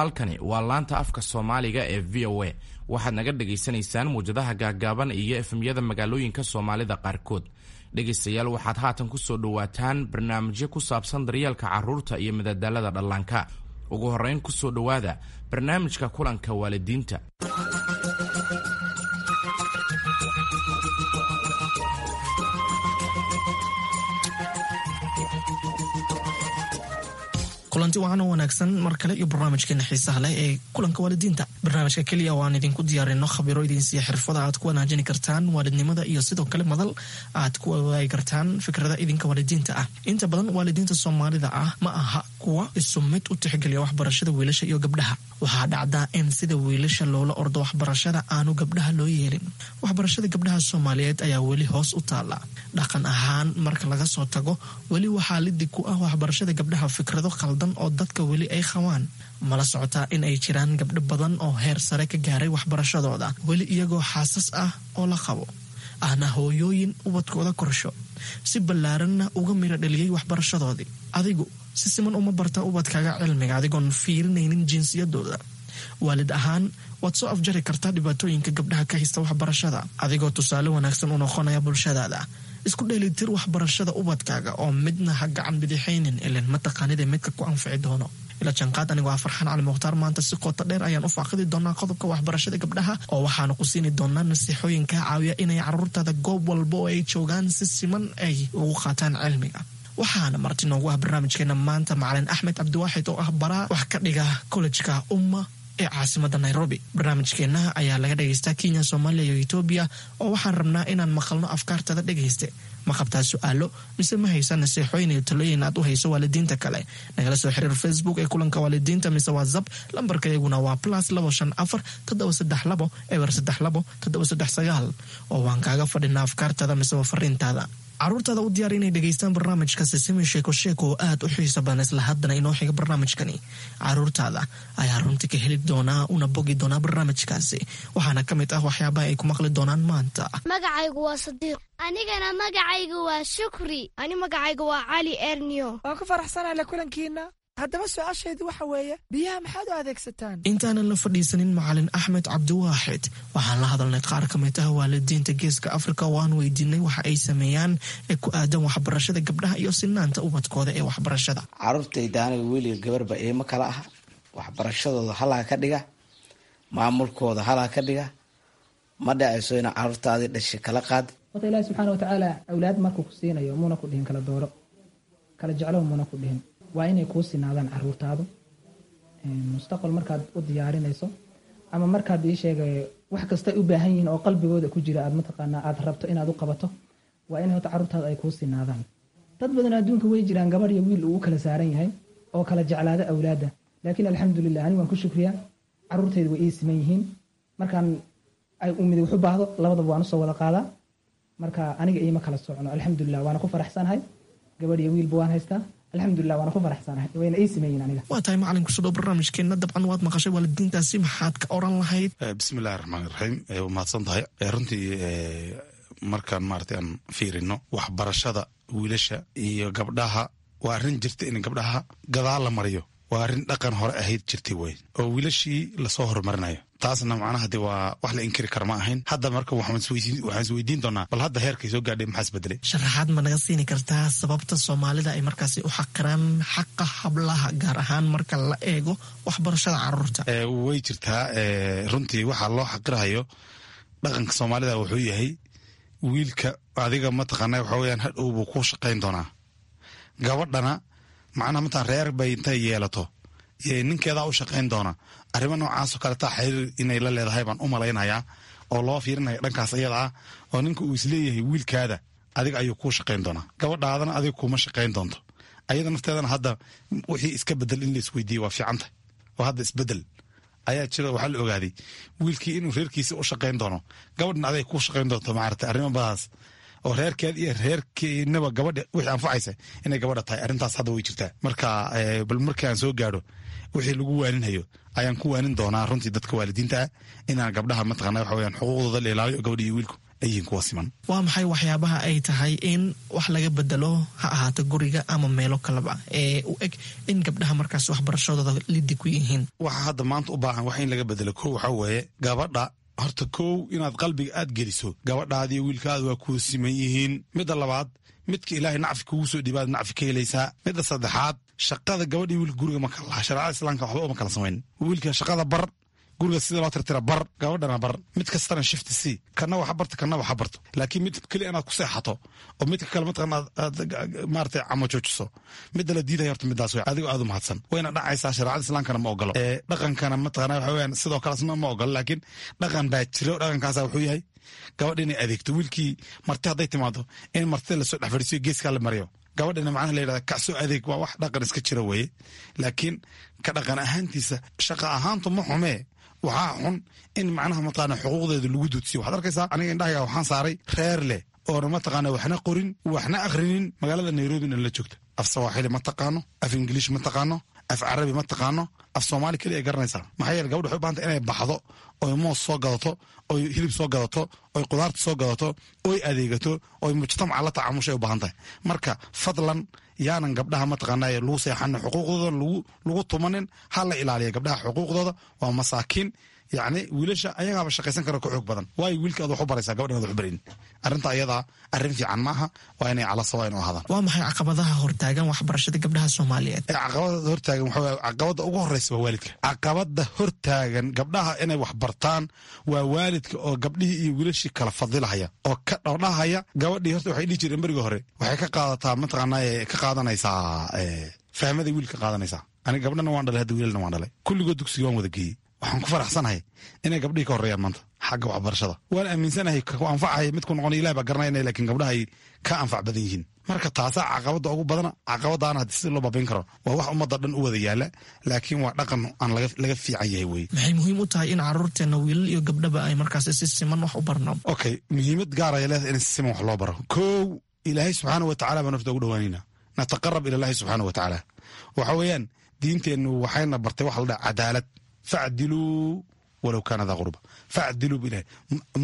Halkani waa laanta afka Soomaaliga ee VOA. Waxaad naga dhagaysanaysaan muwjadaha gaaggaaban iyo FM-yada magaalooyinka Soomaalida qaarkood. Dhegaystayaal, waxaad haatan ku soo dhowaataan barnaamijyo ku saabsan daryeelka carruurta iyo madadaalada dhallaanka. Ugu horrayn, ku soo dhowaada barnaamijka kulanka waalidiinta. Kulanti wacan oo wanaagsan mar kale iyo barnaamijkeena xiisaha leh ee kulanka waalidiinta, barnaamijka keliya oo aan idinku diyaarino khabiro idin siiya xirfada aad ku wanaajini kartaan waalidnimada iyo sidoo kale madal aad ku wadaagi kartaan fikrada idinka waalidiinta ah. Inta badan waalidiinta Soomaalida ah ma aha kuwa isu mid u tixgeliya waxbarashada wiilasha iyo gabdhaha. Waxaa dhacdaa in sida wiilasha loola ordo waxbarashada aanu gabdhaha loo yeelin. Waxbarashada gabdhaha Soomaaliyeed ayaa weli hoos u taala dhaqan ahaan marka laga soo tago. Weli waxaa lidig ku ah waxbarashada gabdhaha fikrado qaldan oo dadka weli ay qabaan. Mala socotaa in ay jiraan gabdho badan oo heer sare ka gaaray waxbarashadooda, weli iyagoo xaasas ah oo la qabo, ahna hooyooyin ubadkooda korsho, si ballaaranna uga miro dhaliyey waxbarashadoodii? Adigu si siman uma barta ubadkaaga cilmiga adigoon fiirinaynin jinsiyadooda? Waalid ahaan waad soo afjari kartaa dhibaatooyinka gabdhaha ka haysta waxbarashada adigoo tusaale wanaagsan u noqonaya bulshadaada. Isku dheelitir waxbarashada ubadkaaga oo midna ha gacan bidixaynin, ilan mataqaanida midka ku anfici doono. Ila janqaad. Anigoo ah Farxaan Cali Mukhtaar, maanta si qoto dheer ayaan u faaqidi doonaa qodobka waxbarashada gabdhaha, oo waxaanu ku siini doonaa nasiixooyin kaa caawiya inay caruurtaada goob walba oo ay joogaan si siman ay ugu qaataan cilmiga. Waxaana marti noogu ah barnaamijkeena maanta macalin Axmed Cabdiwaaxid oo ah baraa wax ka dhiga kollejka Umma ee caasimada Nairobi. Barnaamijkeenna ayaa laga dhagaystaa Kenya, Soomaaliya iyo Etoobiya, oo waxaan rabnaa inaan maqalno afkaartada. Dhegayste, ma qabtaa su-aalo mise ma haysa nasiixooyin iyo talooyin aad u hayso waalidiinta kale? Nagala soo xiriir Facebook ee kulanka waalidiinta mise WhatsApp. Lambarka iyaguna waa +254 732 032 739, oo waan kaaga fadhinaa afkaartada mise waa fariintaada. Caruurtaada u diyaar inay dhegaystaan barnaamijka Sisimi Sheeko Sheeko oo aad u xiisa badan. Isla haddana inoo xiga barnaamijkani caruurtaada ayaa runti ka heli doonaa una bogi doonaa barnaamijkaasi. Waxaana ka mid ah waxyaabaha ay ku maqli doonaan maanta: Magacaygu waa Sadiiq. Anigana magacaygu waa Shukri. Ani magacaygu waa Cali Ernio. Waan ku faraxsanahay la kulankiina. Haddaba su-aashaydu waxa weeye, biyaha maxaad u adeegsataan? Intaanan la fadhiisanin macalin Axmed Cabdiwaaxid, waxaan la hadalnay qaar ka mid ah waalidiinta Geeska Afrika oo aan weydiinay waxa ay sameeyaan ee ku aadan waxbarashada gabdhaha iyo sinaanta ubadkooda ee waxbarashada. Carruurtayda aniga wiiliga gabarba iima kala ah. Waxbarashadooda halaa ka dhiga, maamulkooda halaa ka dhiga. Ma dhacayso ina carruurtaadii dhashay kala qaad. Horta Ilaahi subxaana watacaala awlaad markuu ku siinayo muuna ku dhihin kala dooro, kala jeclow muuna ku dhihin. Waa inay kuu sinaadaan caruurtaadu. Mustaqbal markaad u diyaarinayso ama markaad ii sheegay wax kastay u baahan yihiin oo qalbigooda ku jira aad mataqaanaa aad rabto inaad u qabato, waa in horta carruurtaadu ay kuu sinaadaan. Dad badan adduunka way jiraan gabadh iyo wiil uu u kala saaran yahay oo kala jeclaada awlaadda, laakiin alxamdulilah, anigu waan ku shukriyaa, carruurtayda way ii siman yihiin. Markaan ay umid wax u baahdo, labadaba waan usoo wada qaadaa. Marka aniga iima kala socno, alxamdulilah, waana ku faraxsanahay. Gabadh iyo wiilba waan haystaa, alxamdulilah, waana ku faraxsanahay, wayna ii siman aniga. Waa tahay macalin, kusoo dhow barnaamijkeena. Dabcan waad maqashay waalidiintaasi, maxaad ka oran lahayd? Bismillahi raxmaan iraxiim. Waa mahadsan tahay. Runtii markaan maarata aan fiirino waxbarashada wiilasha iyo gabdhaha, waa arrin jirta in gabdhaha gadaal la mariyo. Waa arrin dhaqan hore ahayd jirtay wey, oo wiilashii lasoo horumarinayo. Taasna macnaha de waa wax la inkiri kara ma ahayn. Hadda marka waxaan isweydiin doonaa, bal hadda heerkay soo gaadhay maxaa isbedelay? Sharaxaad ma naga siini kartaa sababta Soomaalida ay markaasi u xaqiraan xaqa hablaha, gaar ahaan marka la eego waxbarashada caruurta? Way jirtaa. Runtii waxaa loo xaqirahayo dhaqanka Soomaalida wuxuu yahay wiilka adiga mataqaana waxa weyaan hadhow buu ku shaqayn doonaa. Gabadhana macnaha mataan reer bay intay yeelato ninkeedaa u shaqayn doona. Arrimo noocaasoo kaletaa xiriir inay la leedahay baan u malaynayaa, oo loo fiirinaya dhankaas iyada ah, oo ninka uu isleeyahay wiilkaada adiga ayuu kuu shaqayn doonaa, gabadhaadana adiga kuuma shaqayn doonto. Ayada nafteedana hadda wixii iska bedel in la isweydiiye waa fiicanta, oo hadda isbedel ayaa jira. Waxaa la ogaaday wiilkii inuu reerkiisa u shaqayn doono, gabadhna aday kuu shaqayn doonto. Maarata arrimo badaas oo reerkeed iyo reerkeenaba gabadha wixii anfacaysa inay gabadha tahay, arrintaas hadda way jirtaa. Marka bal markii aan soo gaadho wixii lagu waaninhayo ayaan ku waanin doonaa runtii dadka waalidiinta ah inaan gabdhaha mataqana waxa weyaan xuquuqdooda la ilaaliyo, gabadha iyo wiilku ay yihiin kuwa siman. Waa maxay waxyaabaha ay tahay in wax laga bedelo, ha ahaato guriga ama meelo kaleba, ee u eg in gabdhaha markaas waxbarashadooda lidi ku yihiin? Waxa hadda maanta u baahan wax in laga bedelo, kow waxaa weeye gabadha horta kow inaad qalbiga aad geliso gabadhaadiiyo wiilkaada waa kuu siman yihiin. Midda labaad, midka ilaahay nacfi kugu soo dhiibaad nacfi ka helaysaa. Midda saddexaad, shaqada gabadhii wiilka guriga ma kala laha. Shareecada islaamka waxba uma kala samayn. Wiilka shaqada bar, guriga sida loo tirtira bar, gabadhana bar. Mid kastana shift c, kana waxa barto, kana waxa barto. Laakiin mid keli inaad ku seexato oo midka kale mataqana aad maaragtay camo joojiso, midda la diidaya horta midaas wey. Adigoo aad u mahadsan wayna dhacaysaa. Shareecada islaamkana ma ogolo, dhaqankana mataqana waxa weeyaan sidoo kale asna ma ogolo. Laakiin dhaqan baa jiro. Dhaqankaasa wuxuu yahay gabadha inay adeegto wiilkii. Marti hadday timaado, in martida lasoo dhex fadhiisiyo, geeskaa la mariyo, gabadhina macnaha la yidhahda kacsoo adeeg. Waa wax dhaqan iska jira weeye. Laakiin ka dhaqan ahaantiisa, shaqa ahaantu ma xumee. Waxaa xun in macnaha mataqaana xuquuqdeeda lagu duudsiyo. Waxaad arkaysaa, aniga indhahayga waxaan saaray reer leh oona mataqaana waxna qorin, waxna akhrinin, magaalada Nairobina la joogta. Af Sawaaxili ma taqaano, af Ingiliish ma taqaano, af Carabi ma taqaano, af Soomaali keliya ay garanaysaa. Maxaa yeele gabadha waxay u bahantay inay baxdo, oy moos soo gadato, oy hilib soo gadato, oy qudaarta soo gadato, oy adeegato, oy mujtamaca la tacaamushay u baahan tahay. Marka fadlan, yaanan gabdhaha mataqaanaa lagu seexanin, xuquuqdooda lagu tumanin. Ha la ilaaliya gabdhaha xuquuqdooda, waa masaakiin. Yacni wiilasha ayagaaba shaqaysan kara, ka xoog badan. Waayo wiilka aad wax u baraysaa, gabadhan aad wax u barin? Arrinta ayadaa arrin fiican maaha. Waa inay cala sawa inu ahaadaan. Waa maxay caqabadaha hortaagan waxbarashada gabdhaha Soomaaliyeed? Caqabada hortaagan waxa weeye, caqabada ugu horeysa waa waalidka. Caqabada hortaagan gabdhaha inay wax bartaan waa waalidka oo gabdhihii iyo wiilashii kala fadilahaya oo ka dhordhahaya. Gabadhii horta waxay dhihi jireen berigii hore waxay ka qaadataa mataqaanaa ka qaadanaysaa fahmaday wiilka qaadanaysaa. Aniga gabdhana waan dhalay hadda, wiilalna waan dhalay. Kulligood dugsiga waan wada geeyey. Waxaan ku faraxsanahay inay gabdhihii ka horreeyaan maanta xagga waxbarashada. Waan aaminsanahay ku anfacaya midku noqon Ilahi baa garanayna, laakiin gabdhaha ay ka anfac badan yihiin. Marka taasaa caqabada ugu badana. Caqabadaana haddii sida loo baabayn karo waa wax ummadda dhan u wada yaala, laakiin waa dhaqan aan laga fiican yahay weye. Maxay muhiim u tahay in caruurteena wiilal iyo gabdhaba ay markaasi si siman wax u barno? Okay, muhiimad gaar ay leedahay in si siman wax loo baro. Kow, Ilaahay subxaana wa tacala baan nafta ugu dhawaanayna, nataqarab ila Allahi subxaana wa tacaala. Waxa weeyaan diinteennu waxayna bartay waxa la dhaha cadaalad. Facdiluu walow kaana daa qurba, facdiluu bilahi.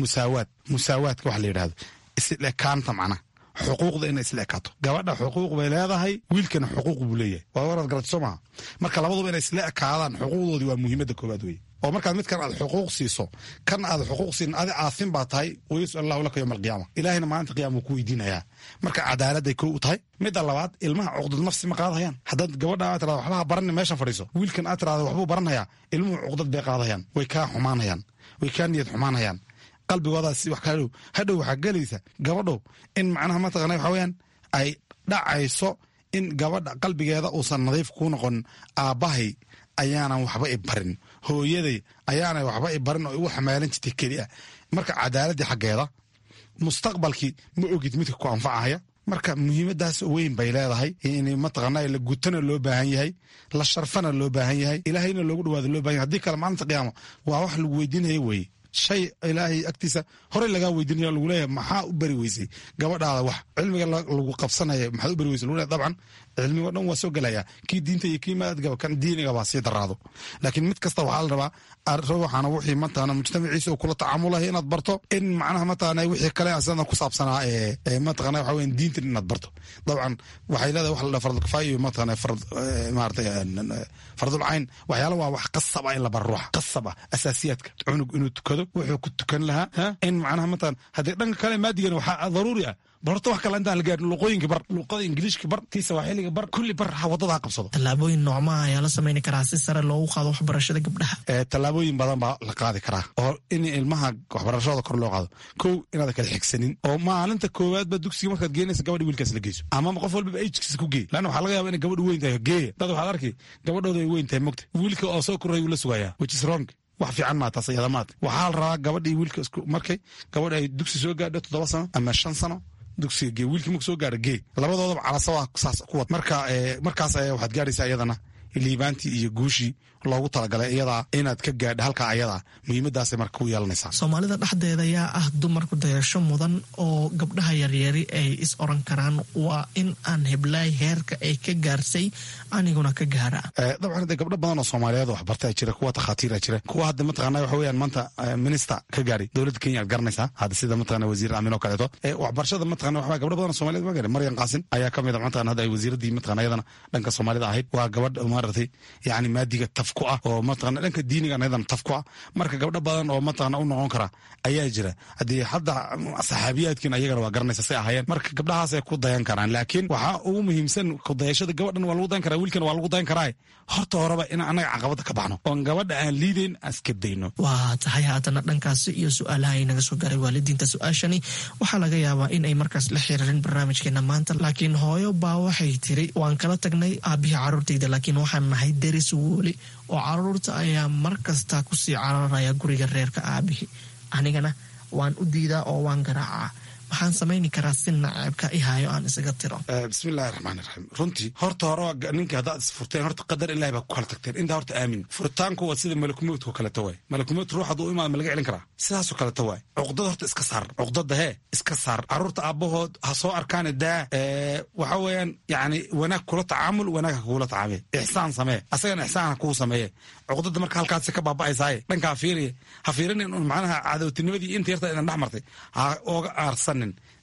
Musaawaad, musaawaadka waxa la yidhahdo, isla ekaanta, macnaha xuquuqda inay isla ekaato. Gabadha xuquuq bay leedahay, wiilkana xuquuq buu leeyahay. Waa waraad garatay soo maha? Marka labaduba inay isla ekaadaan xuquuqdoodii waa muhiimadda koowaad weye. Oo markaad midkan aad xuquuq siiso, kan aad xuquuq siin, adi aasin baa tahay. Wayasal Allahu laka yowma alqiyaama, Ilaahina maalinta qiyama wuu ku weydiinayaa. Marka cadaaladday kow u tahay. Midda labaad, ilmaha cuqdad nafsi ma qaadahayaan. Haddaad gabadha aad tirahdo waxbaha baranin, meeshan fadhiiso, wiilkan aad tirahdo waxbuu baranhayaa, ilmuhu cuqdad bay qaadahayaan, way kaa xumaanayaan, way kaa niyad xumaanayaan, qalbigoodaas wax kaa dhow. Hadhow waxaa gelaysa gabadhow in macnaha mataqana waxa weeyaan ay dhacayso in gabadha qalbigeeda uusan nadiif kuu noqon. Aabbahay ayaanan waxba i barin, hooyaday ayaanay waxba i barin oo igu xamaalan jirtay keli ah. Marka cadaaladdii xaggeeda, mustaqbalkii ma ogid midka ku anfacahaya. Marka muhiimadaas weyn bay leedahay in mataqaana la gutana loo baahan yahay, la sharfana loo baahan yahay, Ilaahayna loogu dhawaado loo baahan yahay. Haddii kale maalinta qiyaama waa wax lagu weydiinaya weeye. Shay Ilaahay agtiisa horey lagaa weydiinaya, lagu leeyahay maxaa u bari weysay gabadhaada wax cilmiga lagu qabsanaya, maxaad u bari weysay lagu leeyahay. Dabcan cilmigo dhan waa soo gelaya, kii diinta iyo kii maadgaba, kan diiniga baa sii daraado. Laakiin mid kasta waxaa la rabaa ruuxana wixii mataqaana mujtamaciisa uu kula tacaamulahay inaad barto, in macnaha mataqaana wixii kale asana ku saabsanaa ee mataqaana waxa weeyaan diintan inaad barto. Dabcan waxay leedahay wax la dhaha fardul kifaaya iyo mataqaana fard maaragtay fardul cayn. Waxyaala waa wax qasab ah in la baro ruuxa, qasab ah, asaasiyaadka, cunug inuu tukado, wuxuu ku tukan lahaa, in macnaha mataqaana haddii dhanka kale maadigana waxaa daruuri ah. Bal horta wax kale intaan la gaarin, luqooyinka bar, luqada Ingiliishka bar, tii Sawaaxiliga bar, kulli bar, ha waddada ha qabsado. Tallaabooyin noocmaha ayaa la sameyni karaa si sare loogu qaado waxbarashada gabdhaha? Tallaabooyin badan baa la qaadi karaa oo in ilmaha waxbarashadooda kor loo qaado. Kow, inaad kala xigsanin oo maalinta koowaad ba dugsiga markaad geenaysa gabadha wiilkaas la geyso, ama qof walbaba age-kiisa ku geey, lanna waxaa laga yaaba inay gabadhu weyn tahay. Geeya dad waxaad arki gabadhooda ay weyn tahay, mogta wiilka oo soo koray uu la sugayaa, which is wrong. Wax fiican maa taas iyada maat. Waxaa la rabaa gabadhii wiilka isku markay gabadha ay dugsi soo gaadho 7 sano ama 5 sano, dugsiga gee. Wiilkii marku soo gaaro gee, labadoodaba calasawa saas ku wad. Marka markaas ayaa waxaad gaadhaysaa iyadana Liibaantii iyo guushii loogu talagalay iyadaa inaad ka gaadha halkaa ayadaa, muhiimadaasay marka ku yeelanaysaa. Soomaalida dhexdeeda yaa ah dumarku dayasho mudan oo gabdhaha yaryari ay is oran karaan waa in aan heblaay heerka ay ka gaarsay aniguna ka gaara? Dabcan de gabdho badan oo soomaaliyeed waxbartaa jira, kuwa takhaatiira jira, kuwa hadda mataqana waxa weyaan maanta minister ka gaaray dowladda Kenya aad garanaysaa hadda, sida mataqana wasiir Amin oo kaleeto. Waxbarashada mataqana waxba gabdho badan oo soomaaliyeed ma gaarin. Maryam Qaasin ayaa ka mid a mataqana hadda ay wasiiraddii mataqana iyadana dhanka soomaalida ahayd. Waa gabadh maaragtay yacni maadiga taf ku ah oo mataqana dhanka diiniga iyadana taf ku ah. Marka gabdho badan oo mataqana u noqon kara ayaa jira. Haddii hadda saxaabiyaadkiin ayagana waa garanaysa say ahaayeen. Marka gabdhahaasay ku dayan karaan, laakiin waxaa ugu muhiimsan kudayashada gabadhan waa lagu dayan karaa, wiilkan waa lagu dayan karaa. Horta horeba in annaga caqabada ka baxno oon gabadha aan liidayn iska dayno. Waa tahay. Haatana dhankaasi iyo su-aalaha ay naga soo gaaray waalidiinta. Su-aashani waxaa laga yaabaa in ay markaas la xiriirin barnaamijkeena maanta, laakiin hooyo baa waxay tiri: waan kala tagnay aabihii caruurtayda, laakiin waxaan nahay deris weli oo caruurta ayaa mar kasta kusii cararaya guriga reerka aabihii, anigana waan u diidaa oo waan garaacaa. Maxaan samayni karaa si naceebka i hayo aan isaga tiro? Bismillahi raxmaan iraxiim. Runtii horta hore ninka haddaad isfurteen, horta qadar ilahi baa ku kala tagteen. Intaa horta aamin. Furitaanku waa sida malakumowdka kaleto waay. Malakumowd ruux hadduu imaado ma laga celin karaa? Sidaasoo kaleto waay. Cuqdada horta iska saar, cuqdada hee iska saar. Carruurta aabbahood ha soo arkaane daa. Waxa weeyaan yacni wanaag kula tacaamul, wanaag ha kugula tacaamee, ixsaan samee, asagana ixsaan ha kuu sameeye. Cuqdada marka halkaasi ka baaba'aysaaye dhankaa fiiriye, ha fiirinin un macnaha cadowtinimadii inta yarta idan dhex martay ha ooga aarsan.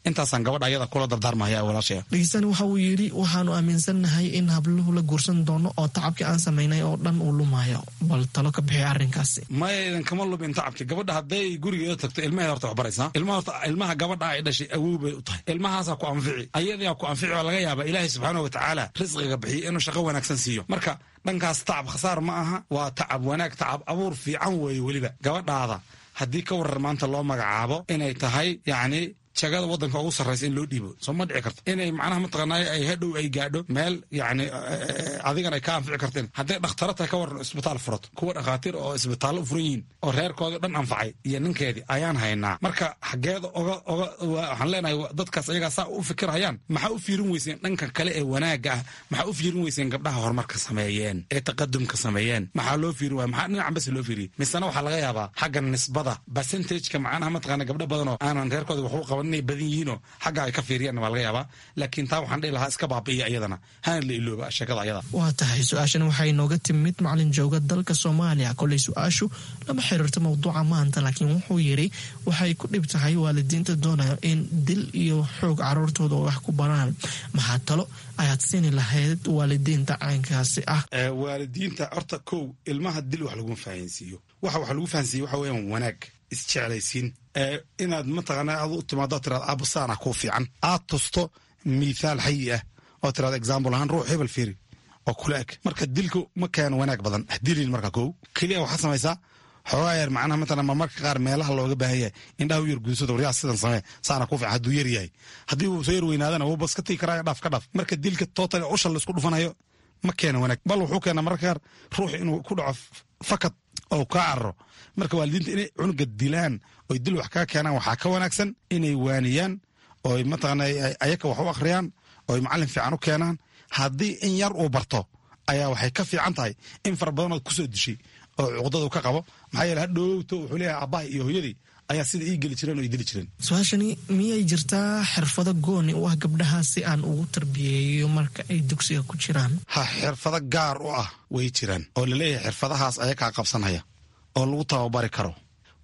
Intaasaan gabadha ayada kula dardaarmahaya walaashaya. Dhegeystani waxa uu yidhi: waxaanu aaminsannahay in habluhu la guursan doono oo tacabkii aan samaynay oo dhan uu lumayo. Bal talo ka bixi arrinkaasi. Maya, idan kama lumin tacabki. Gabadha hadday gurigeeda tagto ilmaheeda horta wax baraysaa. Ilmaha horta, ilmaha gabadha ay dhashay awow bay u tahay. Ilmahaasaa ku anfici, ayadaa ku anfici. Oo laga yaaba Ilaahay subxaana watacaala risqiga bixiyo inuu shaqo wanaagsan siiyo. Marka dhankaas tacab khasaar ma aha, waa tacab wanaag, tacab abuur fiican weeye. Weliba gabadhaada haddii ka warar maanta loo magacaabo inay tahay yacni jagada waddanka ugu sarraysa in loo dhiibo, soo ma dhici karto inay macnaha mataqaanaaye ay hadhow ay gaadho meel yacni adigan ay ka anfici karteen? Hadday dhakhtaro tahay ka waran, isbitaal furato, kuwa dhakhaatiir oo isbitaallo u furan yihiin oo reerkoodii dhan anfacay iyo ninkeedii ayaan haynaa. Marka xaggeeda oga waxaan leenahay dadkaas ayagaa saa u fikirhayaan, maxaa u fiirin weyseen dhanka kale ee wanaagga ah? Maxaa u fiirin weyseen gabdhaha horumarka sameeyeen ee taqadumka sameeyeen? Maxaa loo fiirin waaya? Maxaa dhinacan bas loo fiiriyey? Misena waxaa laga yaabaa xagga nisbada percentageka macnaha mataqaana gabdho badan oo aanan reerkooda wax u qaban inay badan yihiinoo xagga ay ka fiiriyaan waa laga yaabaa. Laakiin taa waxaan dhihi lahaa iska baabi'iya iyadana, hana la ilooba sheekada ayada. Waa tahay. Su-aashan waxay nooga timid macalin jooga dalka Soomaaliya. Koley su-aashu lama xiriirto mowduuca maanta, laakiin wuxuu yidhi waxay ku dhib tahay waalidiinta doonaya in dil iyo xoog caruurtooda wax ku baraan. Maxaa talo ayaad siini lahayd waalidiinta caynkaasi ah? Waalidiinta horta kow, ilmaha dil wax laguma fahansiiyo. Waxa wax lagu fahansiiyo waxa weeyaan wanaag, isjeclaysiin, inaad mataqaana ad u timaado tiraad aabbo saana kuu fiican, aad tusto mithaal xayi ah oo tiraad example ahaan ruux hebel fiiri oo kula eg. Marka dilku ma keeno wanaag badan, dilin. Marka kow keliya waxaad samaysaa xoogaa yar macnaha matalan marmarka qaar meelaha looga baahan yahay indhaha u yar guunsado, waryaa sidan samee, saana kuu fiican hadduu yar yahay. Haddii uu soo yar weynaadana wuu bas ka tigi karaa, dhaaf ka dhaaf. Marka dilka total usha la isku dhufanayo ma keeno wanaag, bal wuxuu keenaa mararka qaar ruux inuu ku dhaco fakad oo kaa cararo. Marka waalidiinta inay cunuga dilaan oy dil wax kaga keenaan waxaa ka wanaagsan inay waaniyaan oy mataqaana ayaka wax u akhriyaan oy macallin fiican u keenaan. Haddii in yar uu barto ayaa waxay ka fiican tahay in fara badanood kusoo dishay oo cuqdadu ka qabo. Maxaa yeele hadhowto wuxuu leeyahay aabbaha iyo hooyadii ayaa sida ii geli jireen oo ii dili jireen. Su-aashani: miyay jirtaa xirfado gooni u ah gabdhaha si aan ugu tarbiyeeyo marka ay dugsiga ku jiraan? Ha, xirfado gaar u ah way jiraan oo laleeyahay xirfadahaas ayakaa qabsanhaya oo lagu tababari karo.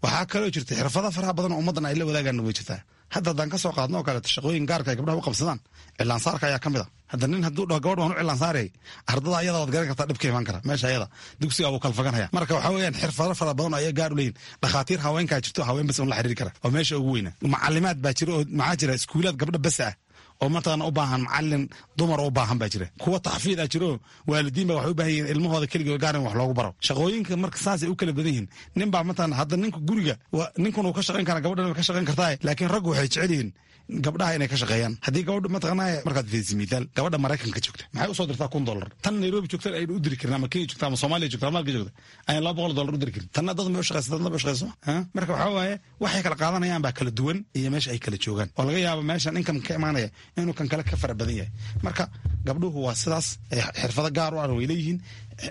Waxaa kaloo jirta xirfado faraha badan oo ummaddan ay la wadaagaan way jirtaa. Hadda haddaan ka soo qaadno oo kaleeto shaqooyin gaarka ay gabdhaha u qabsadaan, cilaansaarka ayaa ka mid a. Hadda nin hadduu dhaho gabadh waan u cilaansaarayay, ardada ayada waad garan kartaa dhibka imaan kara meesha ayada, dugsiga wuu kala faganhaya. Marka waxaa weeyaan xirfado fara badan oo ayaa gaar u leeyihin. Dhakhaatiir haweenkaa jirto, haween bas un la xiriiri kara oo meesha ugu weyna. Macalimaad baa jira oo maxaa jira iskuulaad gabdho bas ah oo mataqaana u baahan macalin dumar u baahan baa jira. Kuwa taxfiid ah jiro, waalidiin baa waxay u baahan yihiin ilmahooda keligood gaar in wax loogu baro. Shaqooyinka marka saasay u kala badan yihiin. Nin baa mataqaana hadda ninka guriga ninkun uu ka shaqayn karaa, gabadhan way ka shaqayn kartaa, laakiin raggu waxay jecel yihiin gabdhaha inay ka shaqeeyaan. Haddii gabadha mataqaanaa markaad fiiriso mithaal gabadha Maraykanka joogta maxay usoo dirtaa $1000, tan Nairobi joogta aynu u diri karin, ama Kenya joogta ama Soomaaliya joogta ama halka joogta ayaan $200 u diri karin. Tanna dad ma u shaqeysa, dadna ma u shaqeyso. Marka waxaa waaye waxay kala qaadanayaan baa kala duwan iyo meesha ay kala joogaan oo laga yaabo meeshan income ka imaanaya. inuu kan kale ka fara badan yahay. Marka gabdhuhu waa sidaas, xirfado gaar u ah way leeyihiin.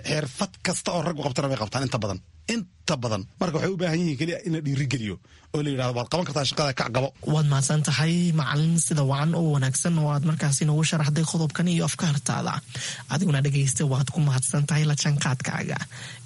Xirfad kasta oo raggu qabtana bay qabtaan inta badan, inta badan. Marka waxay u baahan yihiin keliya in la dhiirigeliyo oo la yidhahdo waad qaban kartaa shaqada, kac, qabo. Waad mahadsan tahay, macalin, sida wacan oo wanaagsan oo aad markaasi noogu sharaxday qodobkan iyo afkaartaada. Adiguna dhegaysta, waad ku mahadsan tahay la jaanqaadkaaga.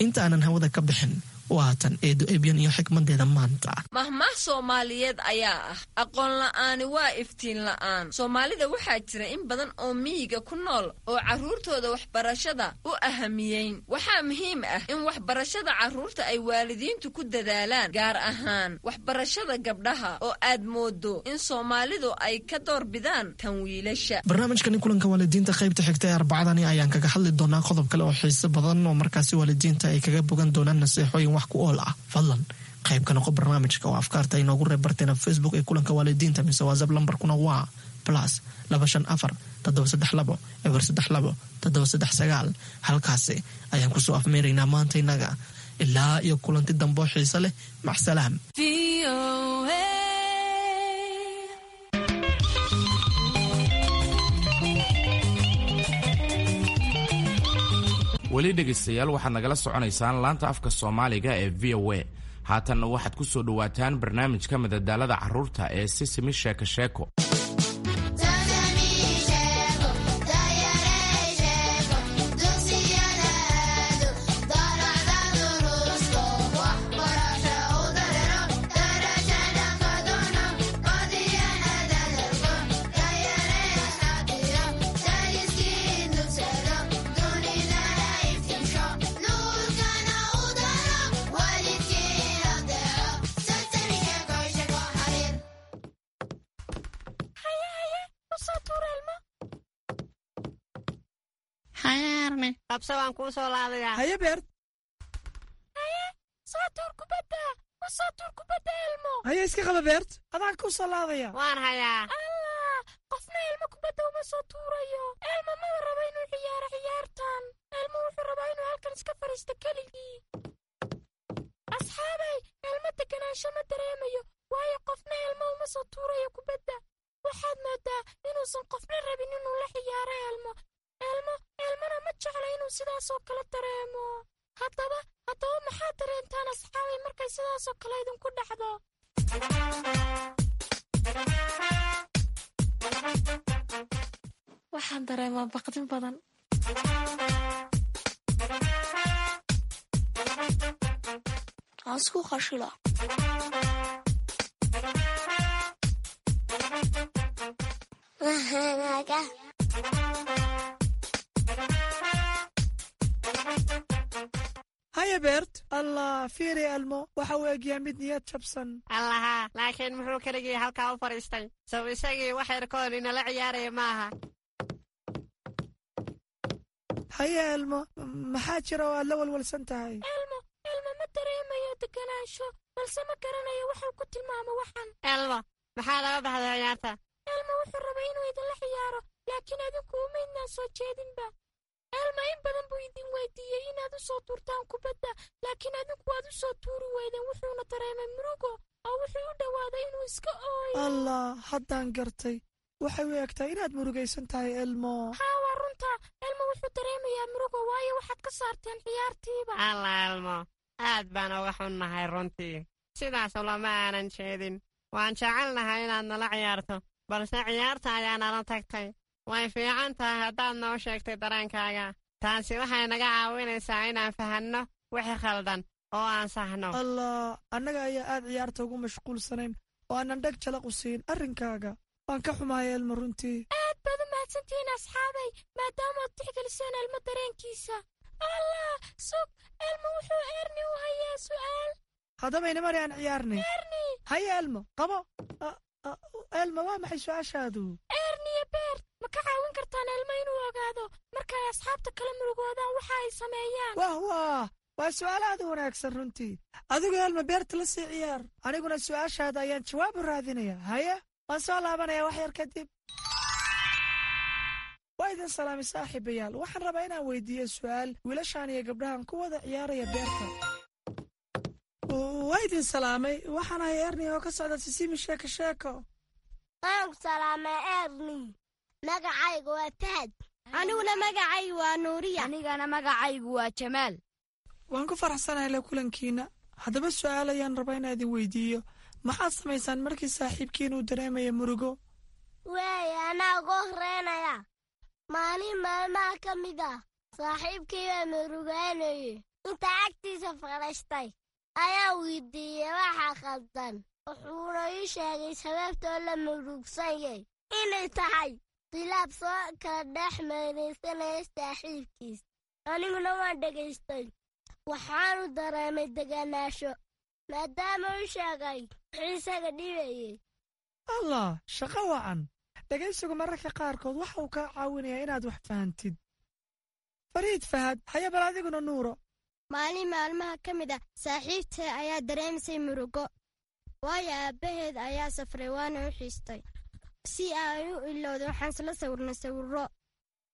Inta aanan hawada ka bixin, waatan Eedo Ebyan iyo xikmadeeda maanta. Mahmaah Soomaaliyeed ayaa ah: "Aqoon la'aani waa iftiin la'aan." Soomaalida waxaa jira in badan oo miyiga ku nool oo carruurtooda waxbarashada u ahamiyeyn. Waxaa muhiim ah in waxbarashada carruurta ay waalidiintu ku dadaalaan, gaar ahaan waxbarashada gabdhaha oo aad moodo in Soomaalidu ay ka doorbidaan tan wiilasha. Barnaamijkani kulanka waalidiinta qaybta xigta ee Arbacadani ayaan kaga hadli doonaa qodob kale oo xiiso badan oo markaasi waalidiinta ay kaga bogan doonaan naseexooyin wax ku ool ah. Fadlan qayb ka noqo barnaamijka oo afkaarta inoogu reeb barteena Facebook ee kulanka waalidiinta mise WhatsApp. Lambarkuna waa +254 732 032 739. Halkaasi ayaan kusoo afmeeraynaa maanta innaga. Ilaa iyo kulanti dambo xiise leh, macsalaam. Weli dhegaystayaal, waxaad nagala soconaysaan laanta afka Soomaaliga ee VOA. Haatanna waxaad ku soo dhowaataan barnaamijka madadaalada carruurta ee Sisimi Sheeko Sheeko. Qabso, waan kuu soo laadayaa. Haye, Beert. Haye, soo tuur kubadda, u soo tuur kubadda Elmo. Haye, iska qaba Beert, adaan kuu soo laadaya. Waan hayaa. Allah, qofna Elmo kubadda uma soo tuurayo. Elmo maba rabo inuu ciyaaro ciyaartan. Elmo wuxuu rabaa inuu halkan iska fadhiisto keligii. Asxaabay, Elmo deganaansho ma dareemayo, waayo qofna Elmo uma soo tuurayo kubadda. Waxaad moodaa inuusan qofna rabin inuu la ciyaaro Elmo. Elmo, Elmona ma jecla inuu sidaasoo kale dareemo. Haddaba maxaad dareentaan, asxaabay, markay sidaasoo kale idinku dhacdo? Waxaan dareemaa baqdin badan. Aan isku qashila. Mahanaga. Haye Beert. Allah, fiiri Elmo, waxa uu egyaa mid niyad jabsan. Allaha, laakiin muxuu keligii halkaa u fadhiistay? Sow isagii wax yarkoon inala ciyaaraya maaha? Haye Elmo, maxaa jira oo aad la walwalsan tahay? Elmo, Elmo ma dareemayo deganaansho, balse ma garanayo waxuu ku tilmaamo waxan. Elmo, maxaa laga baxday ciyaarta? Elmo wuxuu rabay inuu idinla ciyaaro, laakiin adinku umaydnaan soo jeedinba. Elmo in badan buu idin weydiiyey inaad u soo tuurtaan kubadda, laakiin adinku waad u soo tuuri weydeen. Wuxuuna dareemay murugo oo wuxuu u dhowaaday inuu iska ooyo. Allah, haddaan gartay. Waxay u egtahay inaad murugaysan tahay, Elmo. Haa, waa runta. Elmo wuxuu dareemayaa murugo, waayo waxaad ka saarteen ciyaartiiba. Alla Elmo, aad baan uga xunnahay runtii. Sidaas ulama aanan jeedin. Waan jecelnahay inaad nala ciyaarto, balse ciyaarta ayaa nala tagtay. Way fiican tahay haddaad noo sheegtay dareenkaaga. Taasi waxay naga caawinaysaa inaan fahanno wixii khaldan oo aan saxno. Allah, annaga ayaa aad ciyaarta ugu mashquulsanayn oo aanan dheg jalaq u siin arrinkaaga. Waan ka xumahay Elmo runtii. Aad baad u mahadsantihiin, asxaabay, maadaama aad tixgeliseen Elmo dareenkiisa. Allah, sug, Elmo wuxuu Erni u hayaa su'aal. Haddaba inamari aan ciyaarnay. Erni. Haye Elmo, qabo. Elmo, waa maxay su-aashaadu? Erniyo Beert, ma ka caawin kartaan Elmo inuu ogaado marka ay asxaabta kala murugoodaan waxa ay sameeyaan? Wah wah, waa su'aal aad u wanaagsan runtii. Adigu Elmo Beerta la sii ciyaar, aniguna su'aashaada ayaan jawaab u raadinaya. Haye, waan soo laabanaya wax yar kadib. Waa idin salaamay, saaxiibayaal. Waxaan rabaa inaan weydiiyo su'aal wiilashaan iyo gabdhahan ku wada ciyaaraya beerta. Waa idin salaamay. Waxaan ahay Erni oo ka socda Sisimi Sheeko Sheeko. Waan ku salaamay, Erni. Magacaygu waa Fahad. Aniguna magacaygu waa Nuuriya. Anigana magacaygu waa Jamaal. Waan ku faraxsanahay la kulankiina. Haddaba su'aal ayaan rabaa inaa idin weydiiyo. Maxaad samaysaan markii saaxiibkiin uu dareemaya murugo? Waaya, anaa ugu horeynaya. Maalin maalmaha ka mid ah saaxiibkii baa murugaanayey. Inta agtiisa fadhiistay ayaa weydiiyey waxa khaldan. Wuxuuna ii sheegay sababtoo la murugsanyay inay tahay khilaaf soo kala dhex meeraysanaya saaxiibkiis. Aniguna waan dhegaystay. Waxaanu dareemay deganaasho maadaama uu sheegay wuxuu isaga dhibayey. Allah, shaqo wacan. Dhegaysigu mararka qaarkood waxa uu kaa caawinayaa inaad wax fahantid. Fariid Fahad, haya bal adiguna Nuuro. Maalin maalmaha ka mid ah saaxiibtay ayaa dareemisay murugo, waayo aabbaheed ayaa safray waana u xiistay. Si ay u ilowda waxaan isla sawirnay sawirro,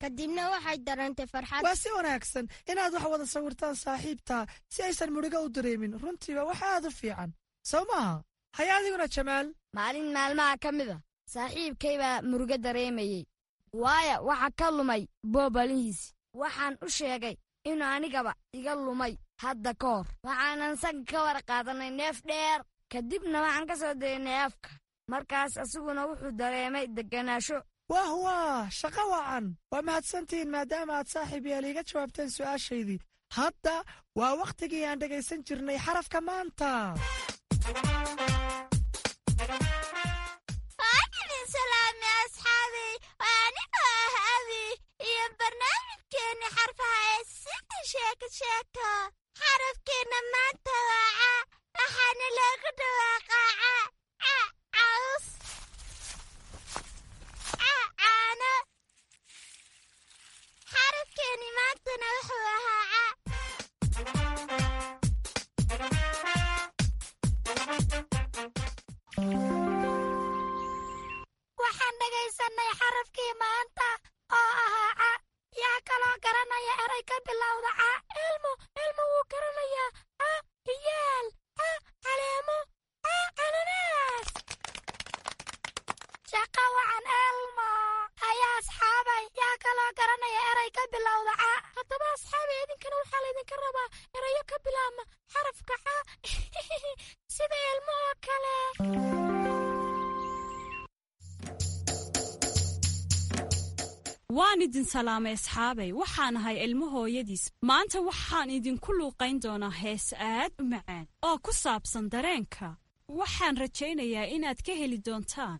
kadibna waxay dareentay farxad. Waa si wanaagsan inaad wax wada sawirtaan saaxiibtaa si aysan murugo u dareemin. Runtiiba wax aad u fiican, sow maaha? Haya adiguna Jamaal. Maalin maalmaha ka mid ah saaxiibkay baa murugo dareemayey, waayo waxa ka lumay boobalihiisi. Waxaan u sheegay inuu anigaba iga lumay hadda ka hor. Waxaanan sanka ka war qaadanay neef dheer, kadibna waxaan ka soo daynay afka. Markaas asiguna wuxuu dareemay degganaasho. Wah waah, shaqo wacan. Waa mahadsantihiin maadaama aad saaxiib yaal iiga jawaabteen su'aashaydii. Hadda waa wakhtigii aan dhegaysan jirnay xarafka maanta. Waan idin salaamay asxaabey. Waa anigoo ah Abi iyo barnaamijkeenna xarfaha ee sida sheeko sheeko. Xarafkeenna maanta waa ca, waxaana loogu dhawaaqaa ca. Ca caws, ca caano. Xarafkeenni maantana wuxuu ahaa ca. Waxaan dhegaysanay xarafkii maanta oo ahaa ca. Yaa kaloo garanaya eray ka bilowda ca? Elmo, Elmo wuu garanayaa. Ca ciyaal, ca caleemo, ca cananaas. Shaqa wacan, Elmo. Haya asxaabay, yaa kaloo garanaya eray ka bilowda ca? Haddaba asxaabay, idinkana waxaa laydinka rabaa erayo ka bilaabma xarafka ca sida Elmo oo kale. Waan idin salaamay asxaabay. Waxaan ahay Ilmo hooyadiis. Maanta waxaan idinku luuqayn doonaa hees aad u macaan oo ku saabsan dareenka. Waxaan rajaynayaa inaad ka heli doontaan.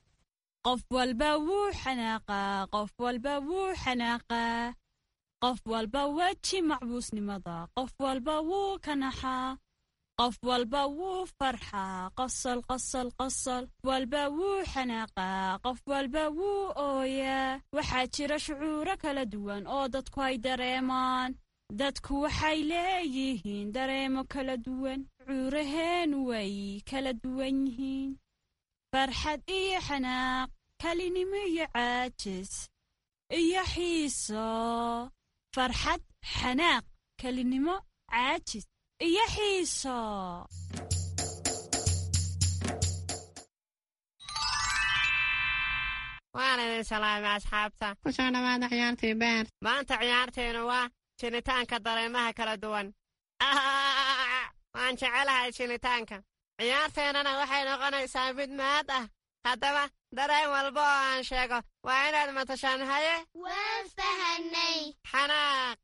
Qof walba wuu xanaaqaa, qof walba wuu xanaaqaa, qof walba weji macbuusnimada, qof walba wuu kanaxaa, qof walba wuu farxaa, qosol qosol qosol, walba wuu xanaaqaa, qof walba wuu ooyaa. Waxaa jira shucuuro kala duwan oo dadku ay dareemaan. Dadku waxay leeyihiin dareemo kala duwan. Shucuuraheenu way kala duwan yihiin: farxad iyo xanaaq, kalinimo iyo caajis iyo xiiso. Farxad, xanaaq, kalinimo, caajis iyo xiiso. Waan idin salaamay asxaabta. Ku soo dhowaada ciyaartii beer. Maanta ciyaarteenu waa jinitaanka dareemaha kala duwan. Waan jecelahay jinitaanka. Ciyaarteennana waxay noqonaysaa mid mahad ah. Haddaba dareen walba oo aan sheego waa inaad matashaan. Haye? Waan fahanay. Xanaaq.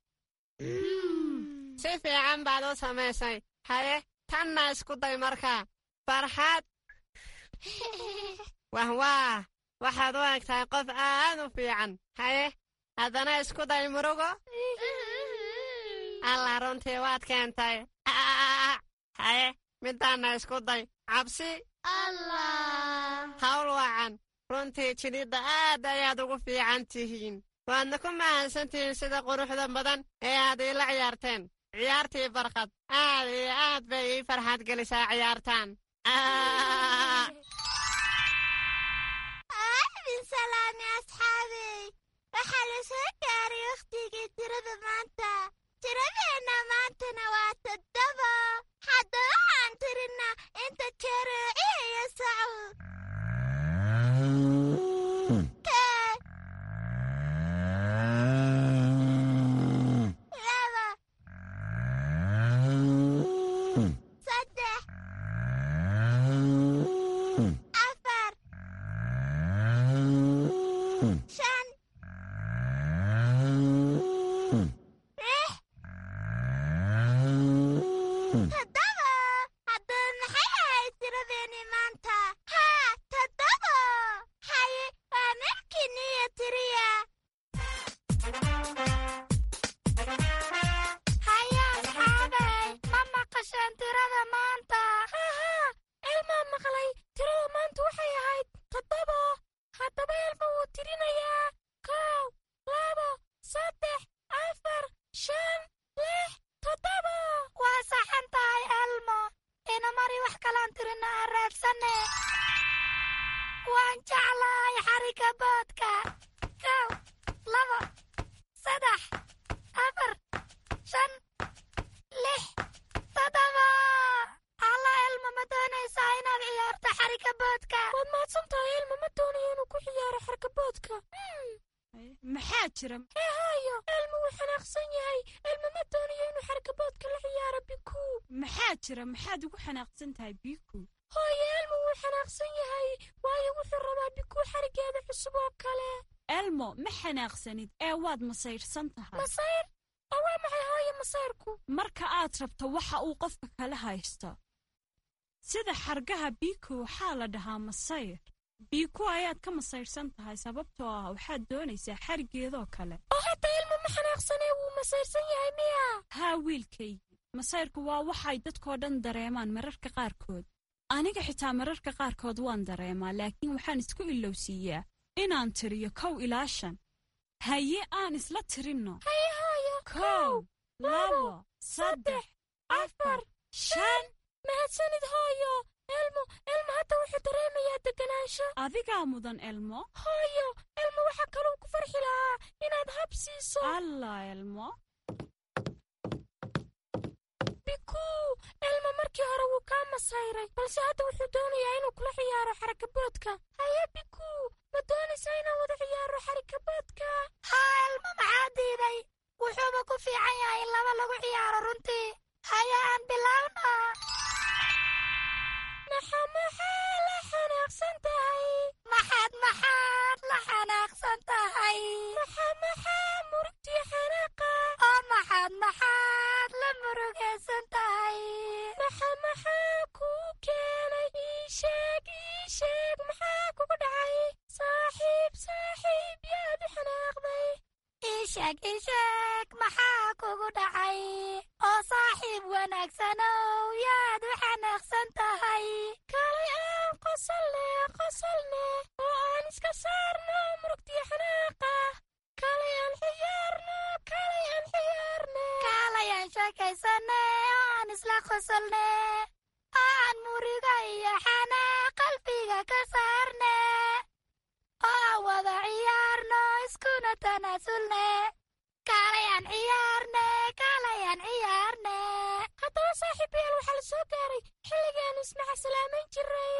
Si fiican baad u samaysay. Haye, tanna isku day markaa. Farxad. Wahwaah, waxaad u egtahay qof aad u fiican. Haye, haddana isku day murugo. Allah, runtii waad keentay. Haye, midaanna isku day cabsi. Allah. Hawl wacan. Runtii jidhidda aad ayaad ugu fiican tihiin. Waadna ku mahadsan tihiin sida quruxda badan ee aad iila ciyaarteen ciyaartii Barqad. Aad iyo aad bay ii farxad gelisaa ciyaartaan. Idin salaamay asxaabey. Waxaa la soo gaaray wakhtigii tirada maanta. Tiradeenna maantana waa 7. Haddaba waxaan tirinaa inta jeer oo ciyayo sacu. Kow. 4, 5, 6, 7. Haddaba maxay ahayd tiradeenii maanta? Haa, 7. Haye, waa markiiniyo tiriya. Haye asxaabay, ma maqasheen tirada maanta? Haa, Elmaa maqlay. Tirada maanta waxay ahayd 7. Haddaba Elma wuu tirinayaa. 1, 2, 3, 4, 5, 6, 7. Waa saxan tahay Elmo. Ina mari wax kalaan tirina aan raadsane. Waan jeclahay xarigga boodka. 1, 2, 3, 4, 5, 6, 7. Alla Elmo, ma doonaysaa inaad ciyaarto xarigga boodka? Waad mahadsan tahay Elmo, ma doonayo inuu ku ciyaaro xarka boodka. Maxaa jira? Hee hooyo, Elmo wuu xanaaqsan yahay. Elmo ma doonayo inuu xarka boodka la ciyaaro Biku. Maxaa jira? Maxaad ugu xanaaqsan tahay Biku? Hooyo, Elmo wuu xanaaqsan yahay, waayo wuxuu rabaa Biku xarigeeda cusub oo kale. Elmo, ma xanaaqsanid ee waad masayrsan tahay. Masayr? Oo waa maxay hooyo masayrku? Marka aad rabto waxa uu qofka kala haysto, sida xargaha Biku, waxaa la dhahaa masayr. Biku ayaad ka masayrsan tahay sababtoo ah waxaad doonaysaa xarigeedoo kale. Oo hadda Elmo ma xanaaqsanee wuu masayrsan yahay miya? Haa wiilkaygii, masayrku waa waxay dadkoo dhan dareemaan mararka qaarkood. Aniga xitaa mararka qaarkood waan dareemaa, laakiin waxaan isku ilowsiiyaa inaan tiriyo 1 ilaa 5. Haye, aan isla tirinno. Haye hooyo. 1, 2, 3, 4, 5. Mahadsanid hooyo. Elmo, Elmo hadda wuxuu dareemayaa deganaansho. Adigaa mudan Elmo. Hooyo, Elmo waxaa kaluu ku farxi lahaa inaad hab siiso. Allah Elmo. Biku, Elmo markii hore wuu kaa masayray, balse hadda wuxuu doonayaa inuu kula ciyaaro xarakaboodka. Haye Biku, ma doonaysaa inaan wada ciyaaro xarakaboodka? Haa Elmo, maxaa diiday? Wuxuuba ku fiican yahay in laba lagu ciyaaro runtii. Haye aan bilaawna. Maxaa la xanaaqsan tahay? Maxaad maxaad la xanaaqsan tahay? Maxaa murugtii xanaaqa? Oo maxaad maxaad la murugaysan tahay? Maxaa kuu keenay? Ii sheeg, ii sheeg, maxaa kugu dhacay? Saaxiib, saaxiib, yaad u xanaaqday? Ii sheeg, ii sheeg, maxaa kugu dhacay? Oo saaxiib wanaagsanow, yaad u xanaaqsan tahay? Kaalay aan qosolne, qosolne, oo aan iska saarno murugtii xanaaqa. Kaalay aan ciyaarno, kaalay aan ciyaarne. Kaalay aan sheekaysane, oo aan isla qosolne, oo aan muriga iyo xanaaq qalbiga ka saarne, oo aan wada ciyaarno iskuna tanaasulne. Kaalay aan ciyaarne, kaalay aan ciyaarne. Haddaba saaxiibayaal, waxaa la soo gaaray xilligii aanu ismaca salaamayn jiray.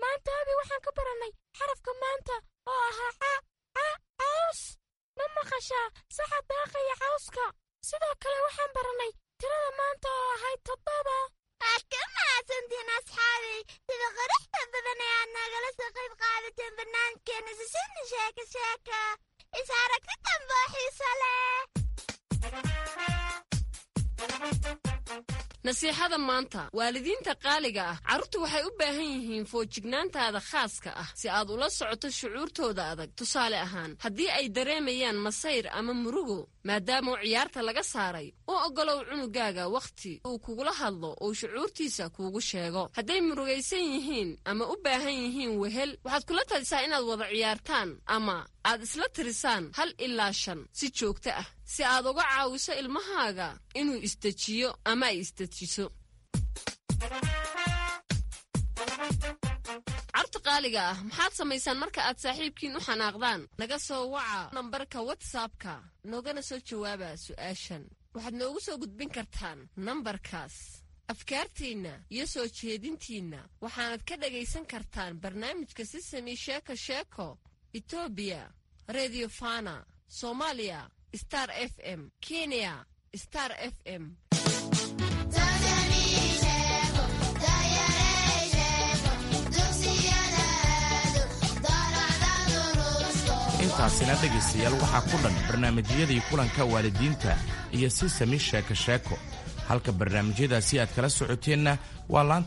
Maanta abi waxaan ka barannay xarafka maanta oo ahaa ca, ca, caws. Ma maqashaa saxa daaqaya cawska? Sidoo kale waxaan barannay tirada maanta oo ahayd 7. Waad ka mahadsantiin asxaabay sida quruxda badan ee aad nagala soo qayb qaadateen barnaamijkeena Sisini Sheeko Sheeko. Is aragti dambe oo xiiso leh. Nasiixada maanta, waalidiinta qaaliga ah, carruurtu waxay u baahan yihiin foojignaantaada khaaska ah si aad ula socoto shucuurtooda adag. Tusaale ahaan, haddii ay dareemayaan masayr ama murugo maadaama ciyaarta laga saaray, u oggolow cunugaaga wakhti uu kugula hadlo oo shucuurtiisa kuugu sheego. Hadday murugaysan yihiin ama u baahan yihiin wehel, waxaad kula talisaa inaad wada ciyaartaan ama aad isla tirisaan 1 ilaa 5 si joogto ah, si aad uga caawiso ilmahaaga inuu isdejiyo ama ay isdejiso. Carruurta qaaliga ah, maxaad samaysaan marka aad saaxiibkiin u xanaaqdaan? Naga soo waca nambarka WhatsAppka, noogana soo jawaaba su'aashan. Waxaad noogu soo gudbin kartaan nambarkaas afkaartiinna iyo soo jeedintiinna. Waxaanad ka dhagaysan kartaan barnaamijka Sisami Sheeko Sheeko Etoobiya Redio Fana, Soomaaliya Star FM, Kenya Star FM. Dugsiga. Intaasina dhegaystayaal waxaa ku dhan barnaamijyadii kulanka waalidiinta iyo si sami sheeko sheeko. Halka barnaamijyadaasi aad kala socoteenna waa laanta